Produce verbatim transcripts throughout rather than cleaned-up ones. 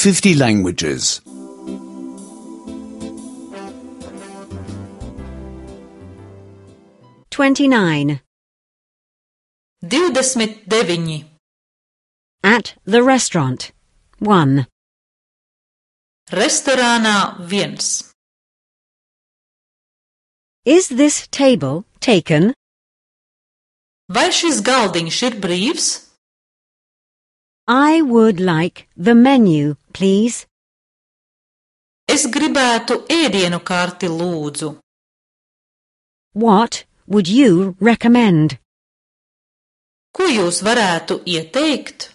fifty languages. twenty-nine. Divdesmit deviņi. At the restaurant. One. Restorānā viens. Is this table taken? Vai šis galdiņš ir brīvs? I would like the menu, please. Es gribētu ēdienu karti, lūdzu. What would you recommend? Ko jūs varētu ieteikt?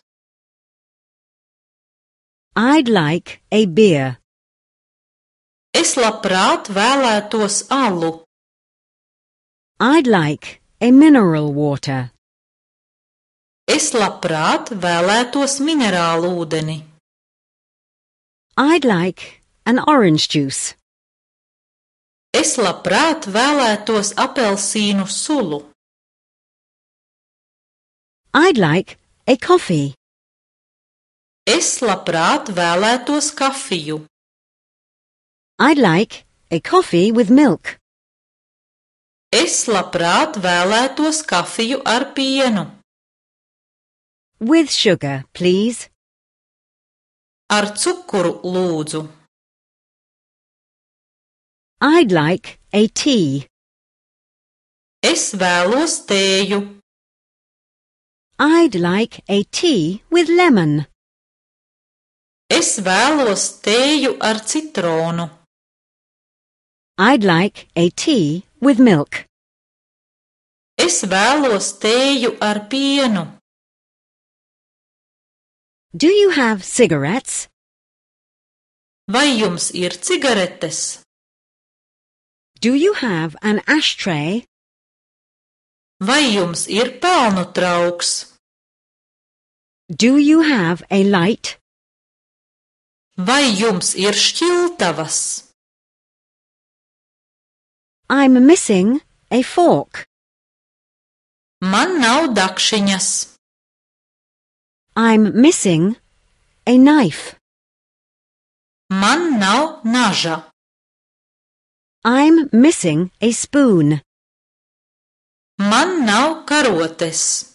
I'd like a beer. Es labprāt vēlētos alu. I'd like a mineral water. Es labprāt vēlētos minerālu ūdeni. I'd like an orange juice. Es labprāt vēlētos apelsīnu sulu. I'd like a coffee. Es labprāt vēlētos kafiju. I'd like a coffee with milk. Es labprāt vēlētos kafiju ar pienu. With sugar, please. Ar cukuru, lūdzu. I'd like a tea. Es vēlos tēju. I'd like a tea with lemon. Es vēlos tēju ar citronu. I'd like a tea with milk. Es vēlos tēju ar pienu. Do you have cigarettes? Vai jums ir cigaretes? Do you have an ashtray? Vai jums ir pelnu trauks? Do you have a light? Vai jums ir šķiltavas? I'm missing a fork. Man nav dakšiņas. I'm missing a knife. Man nav naža. I'm missing a spoon. Man nav karotes.